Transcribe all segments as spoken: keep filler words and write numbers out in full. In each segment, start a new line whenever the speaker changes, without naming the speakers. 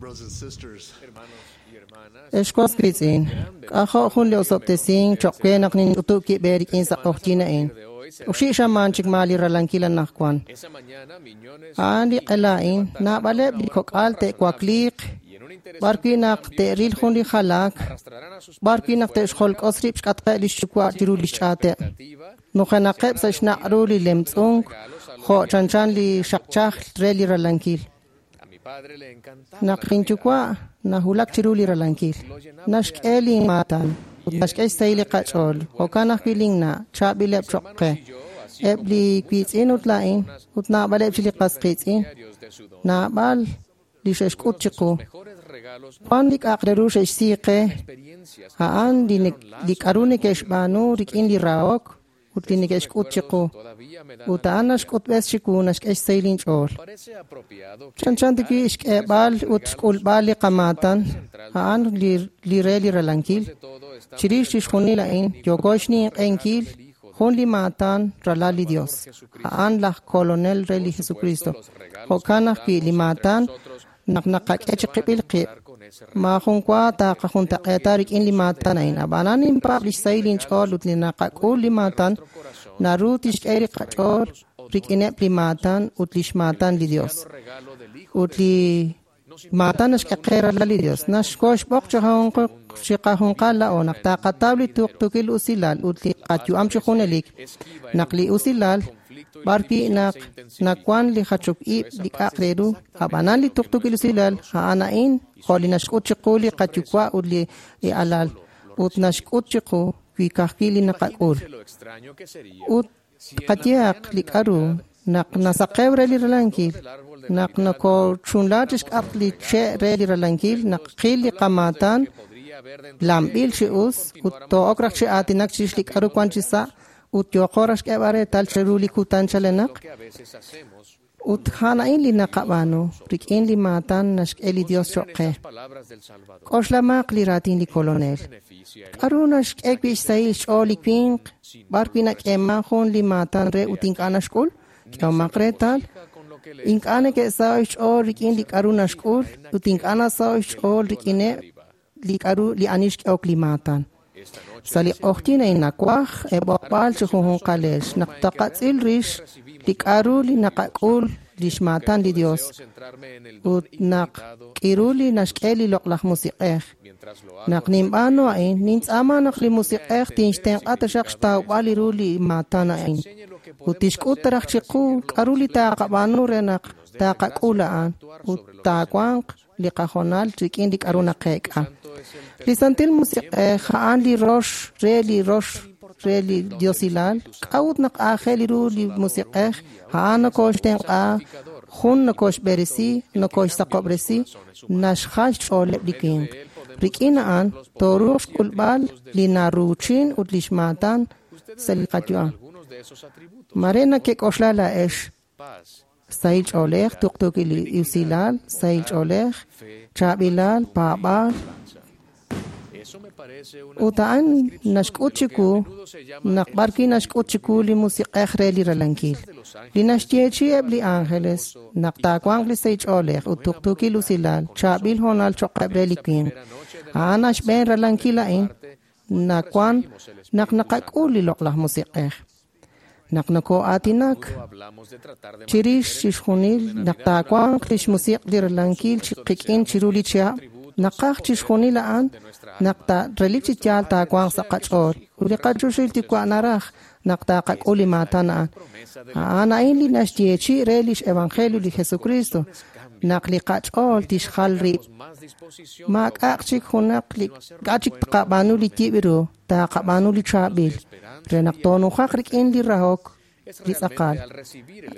Brothers and sisters,
Ex was wiitz'in, k'ajo' jun li osob'tesink cho'q we naq ninch'utub' kib' eerik'in sa' q'oqyink a'in. Oxib' xamaan chik maa li ralankil anaqwan. A'an li q'ela a'in, naab'aleb' li kok'al te'wakliiq b'arwi' naq te'ril jun li jalaak, b'arwi' naq te'xjolk'os rib' xk'atqeb' li xyuwa' chiru li xch'aateb'. Nujenaqeb' sa' xnaq' ru li lemtz'unk jo' chanchan li xaqchaj re li ralankil. Naq linyuwa' nawulak chiru li ralankil, naxk'e linmaatan ut naxk'e xsahil li qach'ool. Jo'kan ajwi' linna', chaab'ileb' cho'q qe. Eb' li wiitz'in ut laa'in ut naab'aleb' chik li qas qiitz'in, naab'al li xe'xk'ut chiqu. Wan li k'a'aq re ru xe'xsi qe, a'an li li k'aru neke'xb'aanu rik'in li rahok ut li neke'xk'ut chiqu. Ut a'an naxk'utb'es chiwu naxk'e xsahil inch'ool. Chanchan tawi' xk'eeb'al ut xk'ulb'al li qamaatan, a'an li, li re li ralankil. Chirix chixjunil a'in, yooko xninq'ehinkil jun li maatan ralal li Dios. A'an laj kolonel re li Jesucristo. Jo'kan ajwi' li maatan naq naqak'e chiqib'il qib', maajun wa taaqajuntaq'eeta rik'in li maatan a'in. Ab'anan ninpaab' li xsahil inch'ool ut li naqak'ul li maatan naru tixk'e li qach'ool rik'ineb' li maatan ut lix maatan li Dios. Ut li maatan naxk'e qe ralal li Dios. Naxkoxb'oq chiqajunqal laa'o naq taqataw li tuqtuukil usilal ut li qayu'am chi junelik. Naq li usilal b'arwi' naq nawan li jachok ib' li k'a'aq re ru, ab'anan li tuqtuukil usilal a'an a'in jo' li naxk'ut chiqu li qayuwa' ut li alal ut naxk'ut chiqu wi ka'ajwi' li naqak'ul. Ut qayehaq li k'aru naq nasaqew re li ralankil, naq nokochunla chixk'atq li che' re li ralankil, naq qil li qamaatan lamb'il chi us ut too'ok raj chi aatinak chirix li k'aru wan chi sa' ut yooqo raj xk'eeb'al reetal cheru li kutan chalenaq. Ut a'an a'in li naqab'aanu rik'in li maatan naxk'e li Dios cho'q qe. K'oxlamaq li raatin li kolonel. K'aru naxk'e wi' xsahil xch'ool li winq b'arwi' nak'eeman jun li maatan re ut ink'a' naxk'ul? K'ehomaq reetal, ink'a' neke'saho'k xch'ool rik'in li k'aru naxk'ul ut ink'a' nasaho'k xch'ool rik'ineb' li k'aru li ani xk'ehok li maatan. Sa' li q'oqyink a'in nawaj eeb'oqb'al chi junjunqalex naq taqatz'il rix li k'aru li naqak'ul lix maatan li Dios ut naq k'iru li naxk'e li loq'laj musiq'ej. Naq ninb'aanu a'in, nintz'aama naq li musiq'ej tinxtenq'a taxaq xtawb'al ru li maatan a'in ut tixk'ut raj chiqu k'aru li taaqab'aanu re naq taqak'ul a'an ut taawanq li qajonal rik'in li k'aru naqeek'a. Li Santil Musiq'ej a'an li rox re li rox re li diosilal. K'a'ut naq aajel ru li musiq'ej? A'an nokoxtenq'a, jun nokoxb'eresi, nokoxsaqob'resi, naxjal xch'ooleb' li winq. Rik'in a'an tooruuq xk'ulb'al li naruuchin ut lix maatan sa' li qayu'am. Mare nakek'oxla laa'ex sahil ch'oolej, tuqtuukil usilal, sahil ch'oolej, chaab'ilal, paab'aal. Ut a'an naxk'ut chiwu naq b'arwi' naxk'ut chiwu li musiq'ej re li ralankil. Li naxyeechi eb' li ángeles naq taawanq li sahil ch'oolej ut tuqtuukil usilal, chaab'il hoonal cho'qeb' re li winq. A'an naxb'een ralankil a'in nawan naq naqak'ul li loq'laj musiq'ej. Naq noko'aatinak chirix chixjunil naq taawanq lix musiq' li ralankil qik'in chiru li chihab', naqaj chixjunil a'an naq ta relik chi yaal taawanq sa' qach'ool. Ut li qachoxahil Yuwa' naraj naq taqak'ul li maatan a'an. A'an a'in li naxyeechi re lix evangelio li Jesucristo, naq li qach'ool tixjal rib'. Maak'a'aq chik junaq li k'a' chik taqab'aanu li yib' ru, taqab'aanu li chaab'il, re naq toonujaq rik'in li rahok li tz'aqal.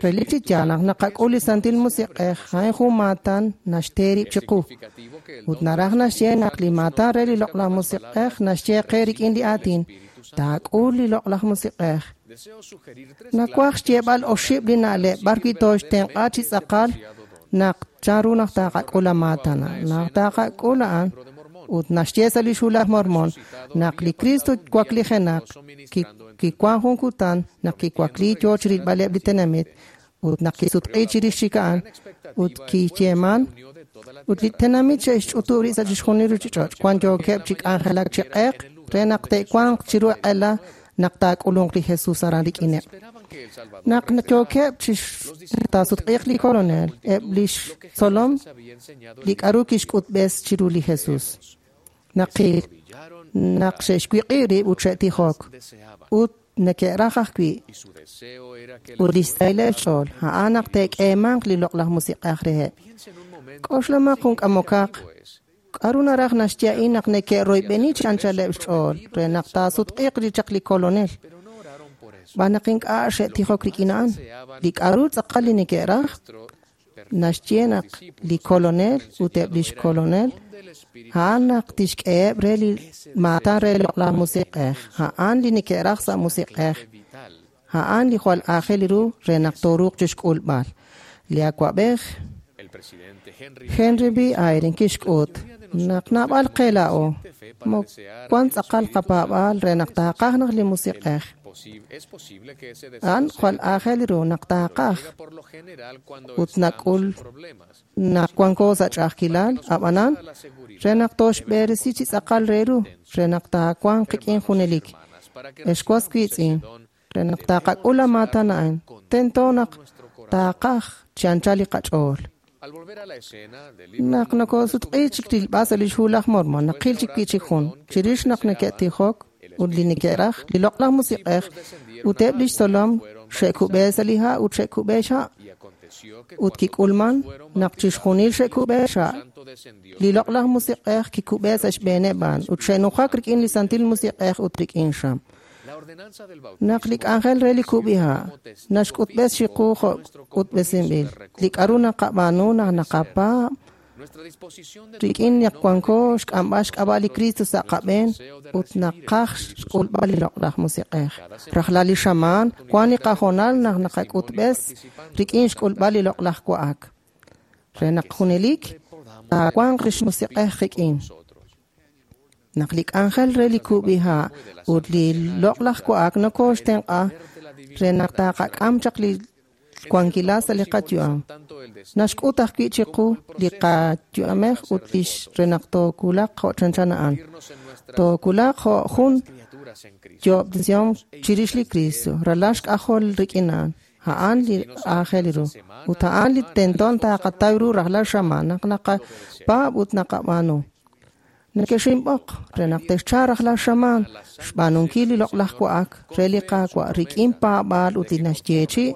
Relik chi yaal naq naqak'ul li Santil Musiq'ej, a'in jun maatan naxte rib' chiqu. Ut naraj naxye naq li maatan re li loq'laj musiq'ej naxye qe rik'in li aatin, taak'ul li loq'laj musiq'ej. Nawaj xyeeb'al oxib' li na'leb' b'arwi' tooxtenq'a chi tz'aqal naq chanru naq taqak'ul maatan. Naq taqak'ul a'an ut naxye sa' li Hu laj Mormon naq li Cristo waklijenaq kiwan jun kutan naq kiwakli yoo chirilb'aleb' li tenamit ut naq kisutq'i chirix chik a'an ut kiyeeman Ut li tenamit xe'xch'utub' rib' sa' chixjunil ruuchich'och', wan yookeb' chi k'anjelak chi q'eq re naq te'wanq chiru q'ela naq taak'ulunq li Jesus aran rik'ineb'. Naq yookeb' chi taasutq'iiq li Kolonel, eb' lix tzolom li k'aru kixk'utb'es chiru li Jesus. Naqil naq xe'xwiq'i rib' ut xe'tijok ut neke'raj ajwi' ut lix sahileb' xch'ool a'an naq te'k'eemanq li loq'laj musiq'ej reheb'. K'oxlamaq jun k'amokaq k'aru naraj naxye a'in naq neke'royb'eni chi anchaleb' xch'ool re naq taasutq'iiq li chaq li Kolonel. Xb'aan naq ink'a' xe'tijok rik'in a'an. Li k'aru tz'aqal li neke'raj naxye naq li Kolonel ut eb' lix Kolonel a'an naq tixk'eheb' re li maatan re loq'laj musiq'ej. A'an li neke'raj sa' musiq'ej. A'an li jwal aajel ru re naq tooruuq chixk'ulb'al. Li awa'b'ej Henry B. Eyring kixk'ut naq naab'al qe laa'o wan tz'aqal qapaab'aal re naq taaqaj naq li musiq'ej. A'an jwal aajel ru naq taaqaj ut nak'ul naq wanko sa' ch'a'ajkilal, ab'anan re naq tooxb'eresi chi tz'aqal re ru re naq taawanq qik'in junelik. Ex was wiitz'in re naq taaqak'ul la maatan a'an tento naq taaqaj chi anchal li qach'ool. Naq nokosutq'i chik rilb'al sa' lix hu laj Mormon, naqil chik wi' chik jun chirix naq neke'tijok ut li neke'raj li loq'laj musiq'ej ut eb' lix tzolom xe'kub'e sa' li ha' ut xe'kub'e xha'. Ut kik'ulman naq chixjunil xe'kub'e xha'. Li loq'laj musiq'ej kikub'e sa' xb'eeneb' a'an ut xe'nujak rik'in li santil musiq'ej ut rik'in xam. Naq li k'anjel re li kub'iha' naxk'utb'es chiqu jo' k'utb'esinb'il. Li k'aru naqab'aanu naq naqapaab' rik'in naq wanko xk'amb'al xk'ab'a' li Cristo sa' qab'een ut naqaj xk'ulb'al li loq'laj musiq'ej. Rajlal li xamaan wan li qahoonal naq naqak'utb'es rik'in xk'ulb'al li loq'laj wa'ak. Re naq junelik taawanq lix musiq'ej qik'in. Naq li k'anjel re li kub'iha' ut li loq'laj wa'ak nokooxtenq'a re naq taaqak'am chaq li wankilal sa' li qayu'am. Naxk'ut ajwi' chiqu li qayu'amej ut lix re naq toowulaq jo' chanchan a'an. Toowulaq jo' jun yo'ob'tesihom chirix li Cristo, ralal xk'ajol rik'in a'an. A'an li aajel ru. Ut a'an li tento taaqataw ru rajlal xamaan naq naqapaab' ut naqab'aanu. Nekexinb'oq re naq texcha rajlal xamaan xb'aanunkil li loq'laj wa'ak re li Qaawa' rik'in paab'aal ut li naxyeechi'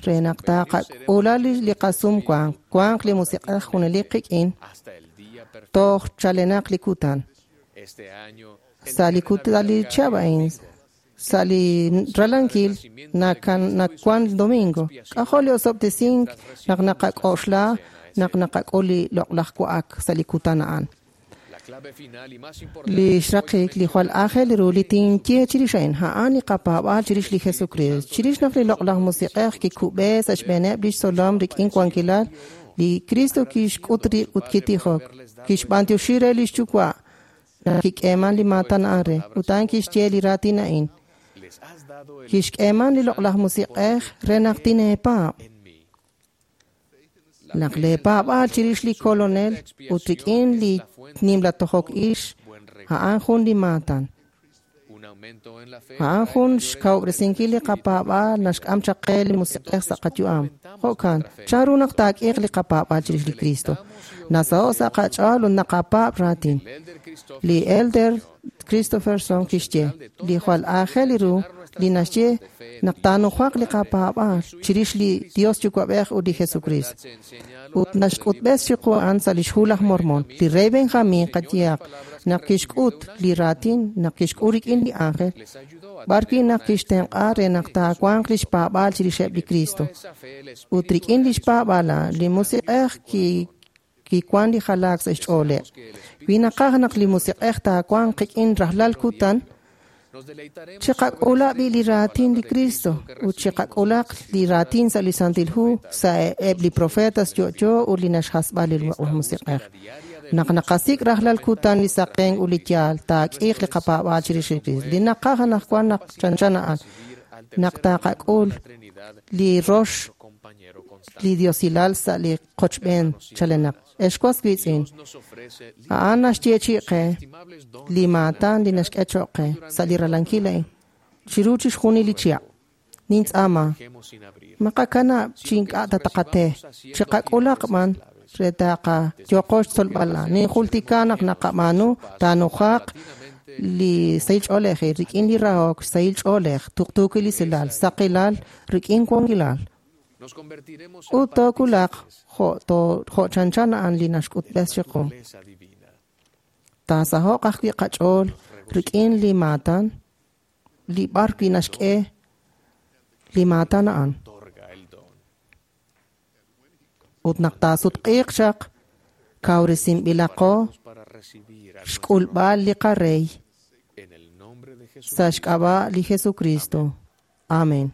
re naq taaqak'ula li qasumwank wanq li musiq'ej junelik qik'in toj chalenaq li kutan. Sa' li kutan li chihab' a'in sa' li ralankil nawan domingo. K'ajo' li osob'tesink naq naqak'oxla naq naqak'ul li loq'laj wa'ak sa' li kutan a'an. Li xraqik li jwal aajel ru li tinye chirix a'in a'an li qapaab'aal chirix li Jesucristo. Chirix naq li loq'laj musiq'ej kikub'e sa' xb'eeneb' lix tzolom rik'in wankilal, li Cristo kixk'ut rib' ut kitijok. Kixb'antioxi re lix yuwa' naq kik'eeman li maatan a'an re ut a'an kixye li raatin a'in. Kixk'eeman li loq'laj musiq'ej re naq tineepaab'. Naq leepaab'aal chirix li Kolonel ut rik'in li nimla tojok ix a'an jun li maatan. A'an jun xkawub'resinkil li qapaab'aal naxk'am chaq qe li musiq'ej sa' qayu'am. Jo'kan, chanru naq taak'iiq li qapaab'aal chirix li Cristo. Nasaho' sa' qach'ool ut naqapaab' raatin. Li Elder Christofferson kixye li jwal aajel ru li naxye naq taanujaq li qapaab'aal chirix li Dios Yuwa'b'ej ut li Jesucristo. Ut naxk'utb'es chiqu a'an sa' lix hu laj Mormon. Li rey Benjamin qayehaq naq kixk'ut li raatin naq kixk'ul rik'in li ángel b'arwi' naq kixtenq'a re naq taawanq lix paab'aal chirixeb' li Cristo. Ut rik'in lix paab'aal li musiq'ej ki kiwan li jalaak sa' xch'ooleb'. Wi naqaj naq li musiq'ej taawanq qik'in rajlal kutan, chiqak'ula b'i li raatin li Cristo ut chiqak'ulaq li raatin sa' li Santil Hu sa' eb' li profetas yo'yo ut li naxjasb'a li loq'laj musiq'ej. Naq naqasik' rajlal kutan li saqen ut li yaal taak'iiq li qapaab'aal chirix li Cristo. Li naqaj anaqwan naq chanchan a'an naq taqak'ul li rox li diosilal sa' li qochb'een chalenaq. Ex was wiitz'in, a'an naxyeechi'i qe li maatan li naxk'e cho'q qe sa' li ralankil a'in chiru chixjunil li chihab'. Nintz'aama, maqakanab' chi ink'a' ta taqate, chiqak'ulaq b'an re taqayoqo xtzolb'al. Ninjultika naq naqab'aanu taanujaq li sahil ch'oolejil rik'in li rahok, sahil ch'oolej, tuqtuukil usilal, saqilal rik'in wankilal. Ut toowulaq jo' jo' chanchan a'an li naxk'utb'es chiqu. Taasaho'q ajwi' qach'ool rik'in li maatan li b'ar wi' naxk'e li maatan a'an. Ut naq taasutq'iiq chaq kawresinb'ilaqo xk'ulb'al li qarey sa' xk'ab'a' li Jesucristo. Amen.